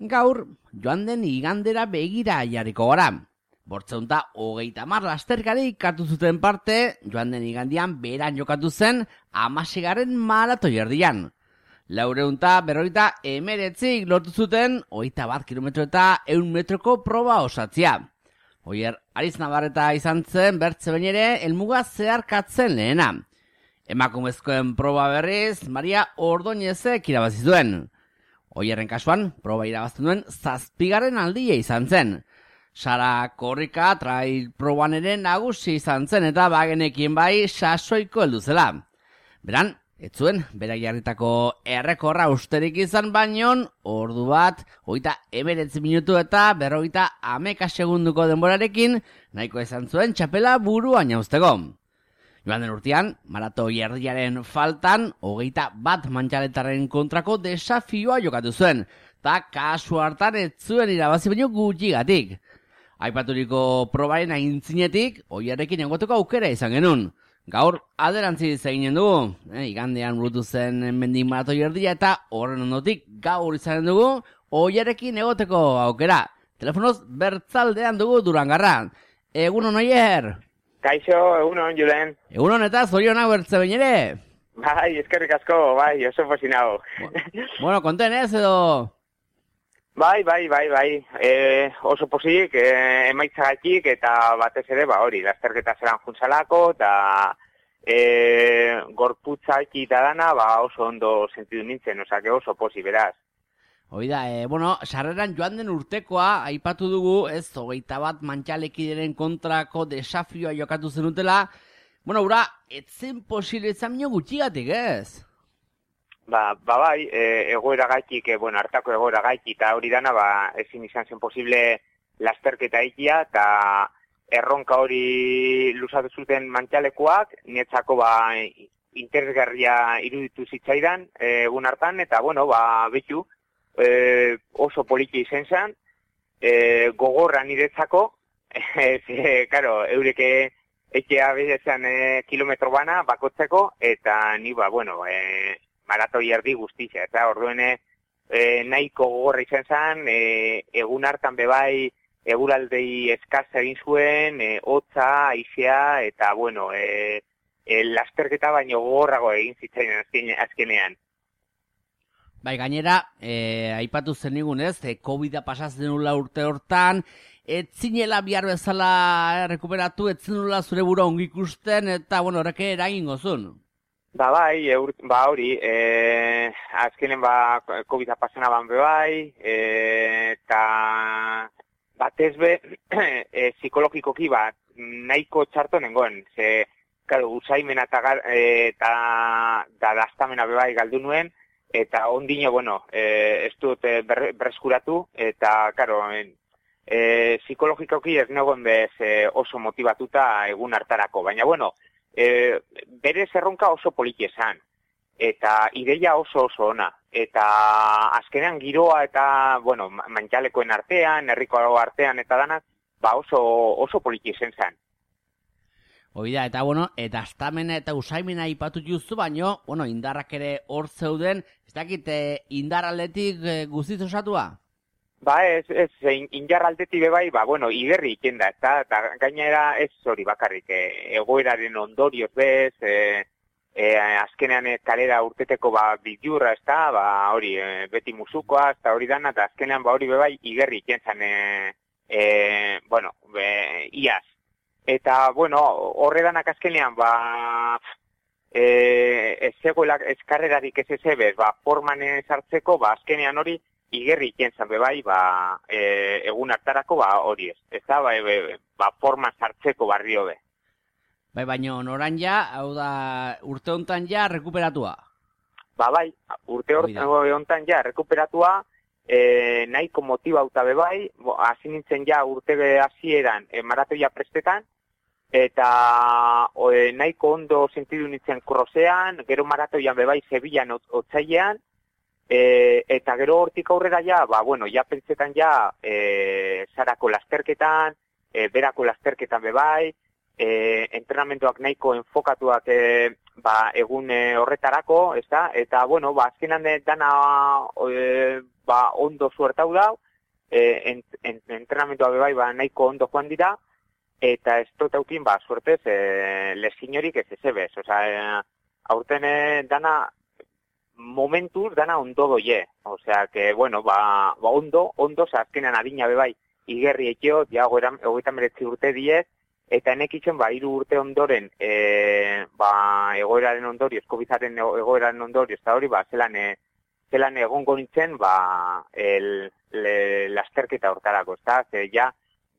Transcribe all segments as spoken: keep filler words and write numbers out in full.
Gaur, joan den igandera begira jarriko gara. Bortzeunta hogeita hamar lasterkari ikatu zuten parte, joan den igandian beran jokatu zen hamaseigarren maratoi erdian. Laureunta berroita emeretzik lortu zuten, hogeita bat kilometro eta ehun metroko proba osatzea. Oier, Ariz Navarreta izan zen bertze behin ere helmuga zeharkatzen lehena. Emakumezkoen proba berriz, Maria Ordoñezek irabazi zuen. Oierren kasuan, proba irabazten duen zazpigarren aldia izan zen. Sara Korrika trail proban ere nagusi izan zen eta bagenekien bai sasoiko heldu zela. Beran, ez zuen, berak jarritako errekorra usterik izan baino, ordu bat, hogeita emeretzi minutu eta berrogeita hameka segunduko denborarekin, nahiko izan zuen txapela buruan jauzteko. Joan den urtean, maratoi erdiaren faltan, hogeita bat mantxaletaren kontrako desafioa jokatu zuen, eta kasu hartan ez zuen irabazi baino gutxigatik. Aipaturiko probaren aintzinetik, oiarrekin egoteko aukera izan genuen. Gaur, aderantziz eginen dugu, eh, igandean burutu zen mendik maratoi erdia eta horren ondotik gaur izan dugu, oiarrekin egoteko aukera. Telefonoz bertzaldean dugu Durangarra. Egunon, Oier! Kaixo, egunon, Julen. Egunon eta zorionak bertze behin ere? Bai, eskerrik asko, bai, oso fasinago. Bueno, konten ez edo... Bai, bai, bai, bai, e, oso posik, e, emaitzagatik eta batez ere, ba hori, lasterketa zelan juntzalako, eta e, gorputzaki eta dana, ba oso ondo sentidu nintzen, osake oso posi, beraz. Oida, e, bueno, sarreran joan den urtekoa, aipatu dugu, ez, hogeita bat mantxalekideren kontrako desafioa jokatu zenutela, bueno, ura, etzen posible izan minio gutxigatik, ez? Ba, ba bai, e, egoera gaitik, e, bueno, hartako egoera gaitik, eta hori dana, ba, ezin izan zen posible lasterketa ikia, eta erronka hori luzatu zuten mantxalekoak, nietzako, ba, interesgarria iruditu zitzaidan, e, egun hartan, eta, bueno, ba, betu, e, oso poliki izan zen, e, gogorra niretzako, e, karo, eureke etxea bezan e, kilometro bana, bakotzeko, eta ni, ba, bueno, e, maratoi erdi guztia, eta orduene e, nahiko gogorra izan zen, e, egun hartan bebai eguraldei eskaz egin zuen, e, hotza, aizea, eta bueno, e, e, lasterketa baino gogorrago egin zitzaidan azken, azkenean. Bai, gainera, e, aipatu zenigun ez, e, COVID-a pasatzen nula urte hortan, ez zinela bihar bezala e, rekuperatu, ez zinula zure bura ongi ikusten, eta bueno, horreke eragin gozun. Ba bai, eur, ba hori, e, azkenen ba COVID-a pasana ban bebai, e, eta batez be, e, psikologikoki bat nahiko txarto nengoen, ze, karo, usaimena eta, eta da daztamena bebai galdu nuen, eta ondino, bueno, e, ez dut ber, berreskuratu, eta, karo, e, e, psikologikoki ez negoen bez e, oso motivatuta egun hartarako, baina, bueno, E, bere zerronka oso poliki esan, eta ideia oso oso ona, eta azkenean giroa eta, bueno, mantxalekoen artean, herriko artean eta danak, ba oso, oso poliki esan zen. Oida, eta bueno, eta astamena eta usaimena ipatu juzu, baino, bueno, indarrak ere hor zeuden, ez dakit, indar aldetik e, guztiz osatua? Ba ez, ez, indar aldetik bebai, ba, bueno, igerri ikenda, eta, eta gainera ez hori bakarrik, e, egoeraren ondorioz bez, e, e, azkenean kalera urteteko ba, bilurra, ez da, ba, hori, e, beti musukoa, eta hori dana, eta azkenean ba, hori bebai igerri ikentzan, e, e, bueno, be, iaz. Eta, bueno, horre danak azkenean, ba, e, ez zegoela eskarrerarik ez ezebez, ba, forman sartzeko, ba, azkenean hori, igerri ikentzan bebai, ba, e, egun hartarako, ba, hori ez. Ez da, ba, e, ba, forma sartzeko barrio be. Bai, baina oran ja, hau da, urte hontan ja rekuperatua. Ba, bai, urte hontan ja rekuperatua, e, nahiko motibauta bebai, hasi nintzen ja urte hasieran e, maratoia prestetan, eta o, e, nahiko ondo sentidu nintzen krosean, gero maratoian bebai Sevillan otzailean, E, eta gero hortik aurrera ja, ba, bueno, ja pentsetan ja e, sarako lasterketan, e, berako lasterketan bebai, e, entrenamentoak nahiko enfokatuak e, ba, egun e, horretarako, ez da? Eta, bueno, ba, azkenan dana e, ba, ondo suertau dau, e, ent, ent, entrenamentoa bebai, ba, nahiko ondo joan dira, eta ez dut aukin, ba, suertez, e, lesinorik ez ezebez. Osa, e, aurten e, dana, momentuz dana ondo doie. Osea, que, bueno, ba, ba ondo, ondo, oza, azkenean adina bebai, igerri ekio, ja, hogeita meretzi urte diez, eta enekitzen, ba, hiru urte ondoren, e, ba, egoeraren ondorioz, Covidaren egoeraren ondorioz, eta hori, ba, zelan, e, zelan egongo nintzen, ba, el, le, lasterketa hortarako, ezta? Ze, ja,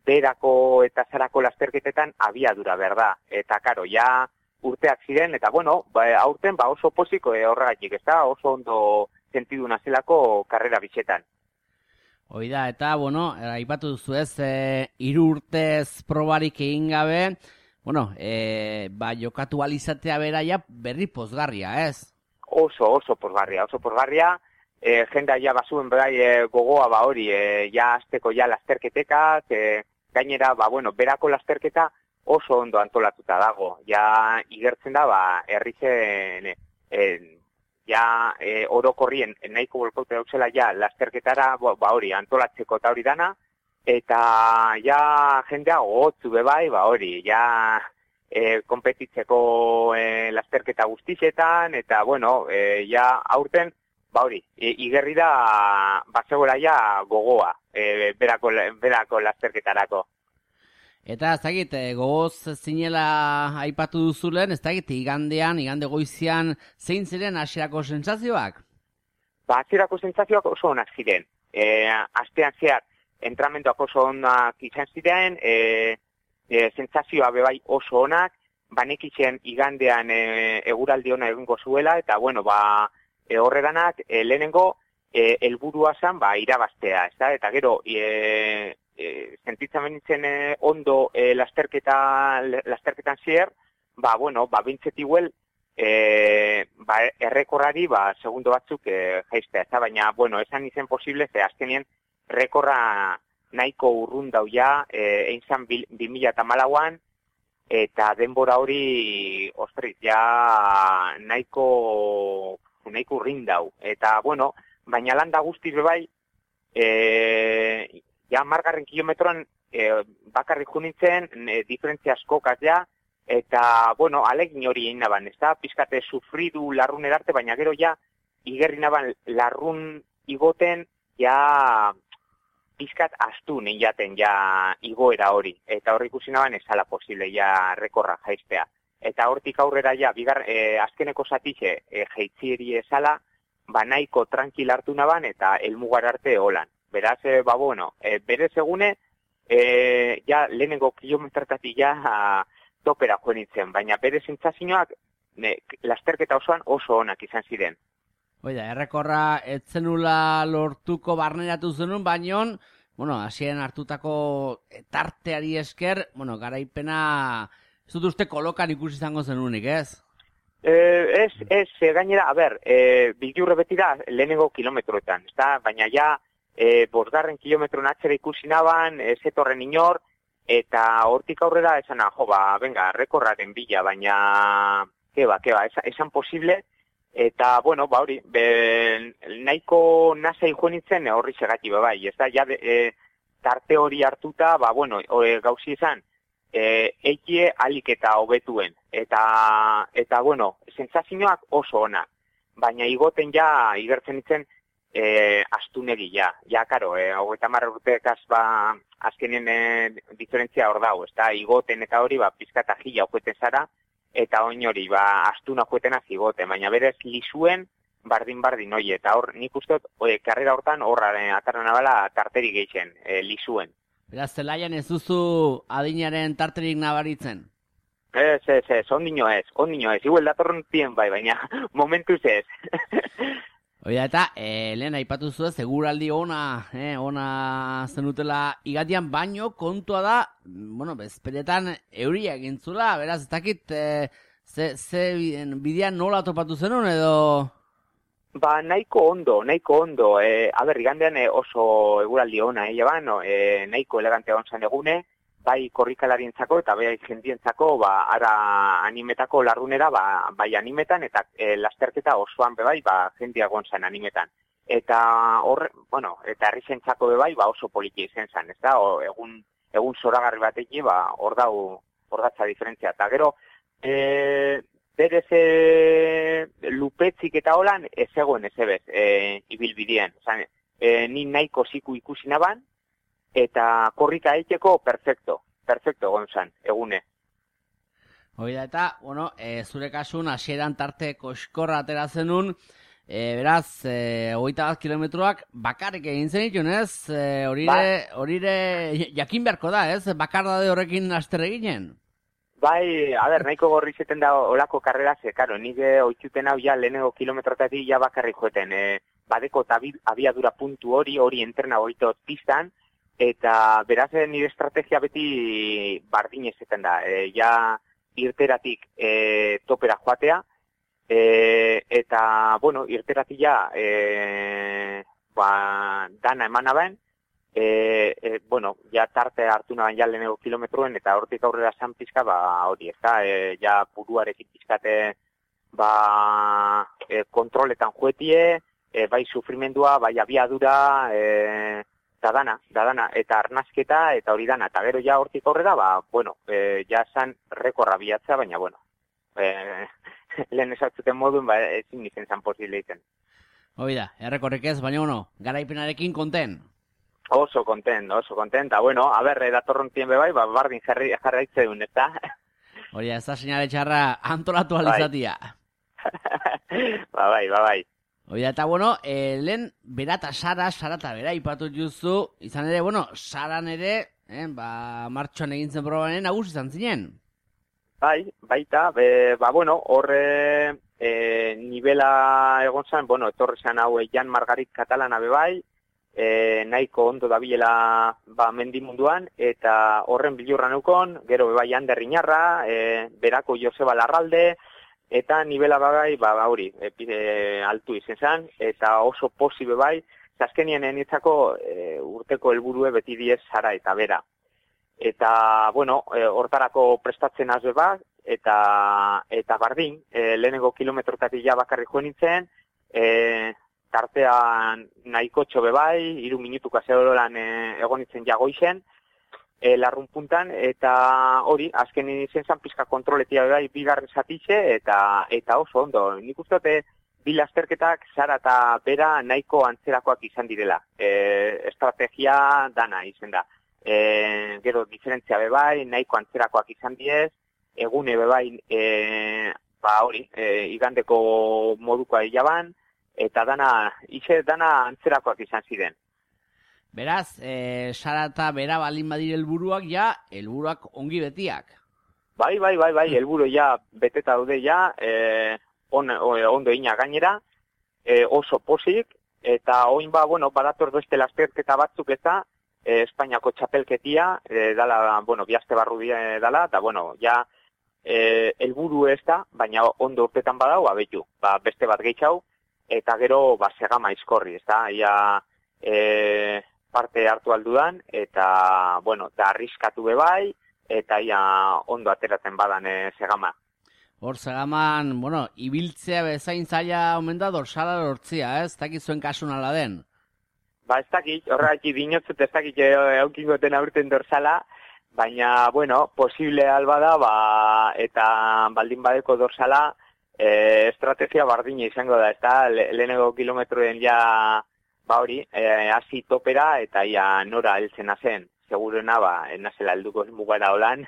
berako eta zarako lasterketetan abiadura, berda. Eta, karo, ja, urteak ziren, eta, bueno, ba, aurten, ba, oso posiko e, horregatik, ezta? Oso ondo sentidu nazelako karrera bitxetan. Hoi da, eta, bueno, aipatu duzu ez, e, hiru urtez probarik egin gabe, bueno, e, ba, jokatu alizatea beraia berri pozgarria, ez? Oso, oso pozgarria, oso pozgarria, e, jendea ja bazuen berai e, gogoa ba hori, e, ja azteko ja lasterketekak, e, gainera, ba, bueno, berako lasterketa oso ondo antolatuta dago, ja igertzen da, ba, herrizen, e, ja e, orokorrien nahiko bolkote dauzela ja lasterketara ba hori antolatzeko eta hori dana, eta ja jendea gogotzu bebai, ba hori, ja e, konpetitzeko e, lasterketa guztixetan, eta bueno, e, ja aurten, ba hori, e, igerri da bazegoela ja gogoa, e, berako, berako lasterketarako. Eta ez dakit, gogoz zinela aipatu duzulen, ez dakit, igandean, igande goizian, zein ziren hasierako sentsazioak? Ba, hasierako sentsazioak oso onak ziren. E, astean zehar, entramentoak oso onak izan ziren, e, e, sentsazioa bebai oso onak, banekitzen igandean e, eguraldi ona egingo zuela, eta bueno, ba, e, horreganak, e, lehenengo, e, helburua zen, ba, irabaztea, ez da? Eta gero, e, E, sentitzen benitzen e, ondo e, lasterketa, lasterketan zier, ba, bueno, ba, bintset iguel, e, ba, errekorrari, ba, segundo batzuk e, jaiztea, eta baina, bueno, esan izen posible, ze azkenien, rekorra nahiko urrun dau ja, e, einzan bi mila eta malauan, eta denbora hori, ostrit, ja, nahiko, nahiko urrin dau, eta, bueno, baina landa guzti bebai, e, ja, margarren kilometroan e, bakarrik junintzen, e, diferentzia askokaz ja, eta, bueno, alegin hori egin naban, ez da, pizkate sufridu larrun erarte, baina gero ja, igerri naban larrun igoten, ja, pizkat astu nein jaten, ja, igoera hori, eta horri ikusi naban ezala posible, ja, rekorra jaiztea. Eta hortik aurrera ja, bigar, e, azkeneko zatixe, e, jeitzieri ezala, ba nahiko tranquil hartu naban, eta elmugar arte holan. Beraz, e, ba, bueno, e, berez egune, e, ja, lehenengo kilometratatik ja a, topera joan nintzen, baina bere sentsazioak lasterketa osoan oso onak izan ziren. Oida, errekorra etzenula lortuko barneratu zenun, baino, bueno, hasien hartutako tarteari esker, bueno, garaipena, ez dut uste kolokan ikusi izango zenunik, ez? E, ez, ez, gainera, a ber, e, bilurre beti da lehenengo kilometroetan, ez da, baina ja, E, bosgarren kilometron atxera ikusi naban, ez etorren inor, eta hortik aurrera esana, jo, ba, venga, rekorraren bila, baina, keba, keba, esan, esan posible, eta, bueno, ba, hori, be, nahiko nasai joan nintzen horri segati, bai, ez da, ja, e, tarte hori hartuta, ba, bueno, e, gauzi izan, e, eikie alik eta hobetuen, eta, eta, bueno, sentsazioak oso ona, baina igoten ja, igertzen nintzen, E, astunegi, ja, ja, karo, e, hogeita hamar urtekaz, ba, azkenien e, diferentzia hor dago, ez da, igoten eta hori, ba, pizkata jila okueten zara, eta oin hori, ba, astuna okuetena zigoten, baina berez lisuen, bardin-bardin, oi, eta hor, nik uste dut, e, karrera hortan, horra, e, atarra nabala, tarteri geixen, e, lisuen. Beraz, zelaian ez duzu adinaren tarterik nabaritzen? Ez, ez, ez, ondino ez, ondino ez, igual datorren zien bai, baina momentuz ez. Oida, eta, e, lehen aipatu zuen, seguraldi ona, eh, ona zenutela igatian, baino kontua da, bueno, bezperetan euria egintzula, beraz, ez dakit, e, ze, ze bidean nola topatu zenun, edo... Ba, nahiko ondo, nahiko ondo, e, aber, igandean e, oso eguraldi ona, eh, jaban, no? e, nahiko elegante onzan egune, bai korrikalarientzako eta bai jendientzako, ba, ara animetako larrunera, ba, bai animetan eta e, lasterketa osoan bebai, ba, jendia gonzan animetan. eta horre, bueno, eta herrizentzako bebai, ba oso politia izen zen, ez da, o, egun, egun zoragarri bateki, ba, hor dau, hor datza diferentzia, eta gero, e, berez e, lupetzik eta holan, ez egoen ez ebez, e, ibilbidien, Zan, e, ni nahiko ziku ikusi naban, eta korrika eiteko perfecto, perfecto egon zen, egune. Hoi da, eta, bueno, e, zure kasun, hasieran tarte koskorra atera zenun, e, beraz, e, hogeita bat kilometroak bakarrik egin zenitun, ez? E, horire, horire jakin beharko da, ez? Bakardade horrekin aster eginen? Bai, a ber, nahiko gorri zeten da olako karrera, ze, karo, nire oitzuten hau ja lehenengo kilometrotatik ja bakarrik joeten, e, badeko abiadura puntu hori, hori entrena horito pistan, eta beraz nire estrategia beti bardin ezeten da, e, ja irteratik e, topera joatea, e, eta, bueno, irteratik ja, e, ba, dana eman aben, e, e, bueno, ja tarte hartu naban ja lehenengo kilometroen, eta hortik aurrera san pizka, ba, hori, ez da, e, ja buruarekin pizkate, ba, e, kontroletan juetie, e, bai sufrimendua, bai abiadura, e, da dana, da dana, eta arnazketa, eta hori dana, eta gero ja hortik aurrera, ba, bueno, e, ja zan rekorra bilatza, baina, bueno, e, lehen esatzuten moduen, ba, ezin izen zan posible iten. Hoi da, errekorrik ez, baina, bueno, garaipenarekin konten. Oso kontent, oso kontent, eta, bueno, a ber, datorrontien bebai, ba, bardin jarri jarraitzen, ez da? Hori da, ez da seinale txarra antolatu alizatia. Ba, bai, ba, bai. Hoi da, eta, bueno, e, lehen bera eta Sara, Sara eta bera ipatu juzu, izan ere, bueno, Saran ere, eh, ba, martxoan egin zen probanen nagusi izan zinen. Bai, baita, be, ba, bueno, horre e, nivela egon zen, bueno, etorri zen hau Jan Margarit Katalana bebai, e, nahiko ondo dabilela ba, mendimunduan, eta horren bilurra neukon, gero bebai Ander Inarra, e, berako Joseba Larralde, eta nivela bagai, ba, ba hori, e, e, altu izen zen, eta oso posi bebai, azkenien enitzako e, urteko helburue beti diez Sara eta bera. Eta, bueno, e, hortarako prestatzen azbe bat, eta, eta bardin, e, lehenengo kilometrotatik ja bakarri joan nintzen, e, tartean nahiko txobe bai, iru minutuka zehoran e, egon nintzen jagoizen, e, larrun puntan, eta hori, azken izen zan pizka kontroletia bai bigarren zatitxe, eta, eta oso ondo. Nik uste dute, bi lasterketak Sara eta bera nahiko antzerakoak izan direla. E, estrategia dana izan da. E, gero diferentzia bebai, nahiko antzerakoak izan diez, egune bebai, e, ba hori, e, igandeko modukoa hilaban, eta dana, ize dana antzerakoak izan ziren. Beraz, e, Sara eta bera balin badire helburuak ja, helburuak ongi betiak. Bai, bai, bai, bai, helburu ja beteta daude ja, e, on, ondo ina gainera, e, oso posik, eta oin ba, bueno, badator beste lasterketa batzuk eta, e, Espainiako txapelketia, e, dala, bueno, bihazte barru e, dala, eta, bueno, ja, e, helburu ez da, baina ondo urtetan badau, abetu, ba, beste bat gehiago, eta gero, ba, segama izkorri, ez da, ia, e, parte hartu aldudan, eta, bueno, da arriskatu bebai, eta ia ondo ateratzen badan e, segama. Hor, segaman, bueno, ibiltzea bezain zaila omen da dorsala lortzia, ez? Ez dakit zuen kasun ala den. Ba, ez dakit, horregatik dinotzut ez dakit eukingoten aurten dorsala, baina, bueno, posible alba da, ba, eta baldin badeko dorsala, e, estrategia bardina izango da, ez da, le, lehenengo kilometroen ja, ba hori, e, hasi topera, eta ia nora heltzen zen. Segurena, ba, nazela helduko mugara holan,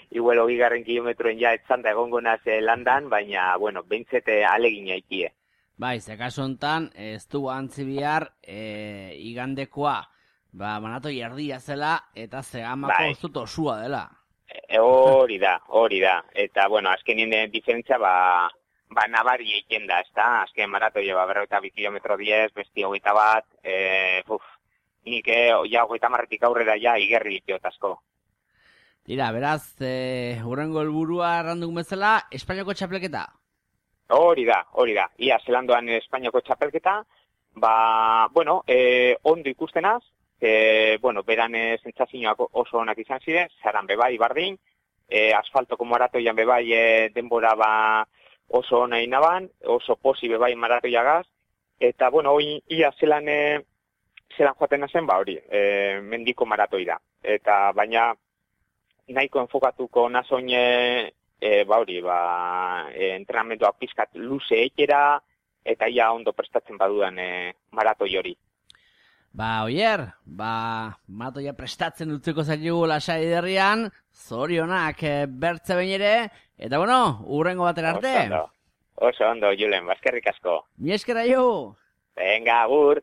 igual hogigarren kilometroen ja etzanda egongo naze landan, baina, bueno, behintzete alegina ikie. Bai, ze kasu hontan, ez du antzi bihar, e, igandekoa, ba, manatoi erdia zela, eta zegamako bai. Zut osua dela. E, hori da, hori da. Eta, bueno, azkenien diferentzia, ba, ba, nabari eiken da, ez da? Azken maratoia, ba, berroita bi kilometro diez, besti hogeita bat, e, uf, nik, eh, ja, hogeita marretik aurrera, ja, igerri itiotazko. Tira, beraz, e, hurrengo helburua erranduk bezala, Espainiako txapelketa. Hori da, hori da. Ia, zelandoan Espainiako txapelketa, ba, bueno, e, ondo ikustenaz, e, bueno, beran sentsazioak oso onak izan ziren, Saran bebai bardin, e, asfaltoko maratoian bebai e, denbora ba oso ona inaban, oso posi bebai maratoiagaz, Eta, bueno, hoi ia zelan, e, zelan joaten zen, ba hori, e, mendiko maratoi da. Eta, baina, nahiko enfokatuko nazoin, e, e, ba hori, ba, e, entrenamentoak pizkat luze ekera, eta ia ondo prestatzen badudan e, maratoi hori. Ba, oier, ba, maratoia prestatzen utzeko zailu lasai derrian, zorionak e, bertze behin ere, eta bueno, urrengo batera arte. Oso ondo, oso ondo, Julen, baskerrik asko. Mi eskera jo! Venga, agur!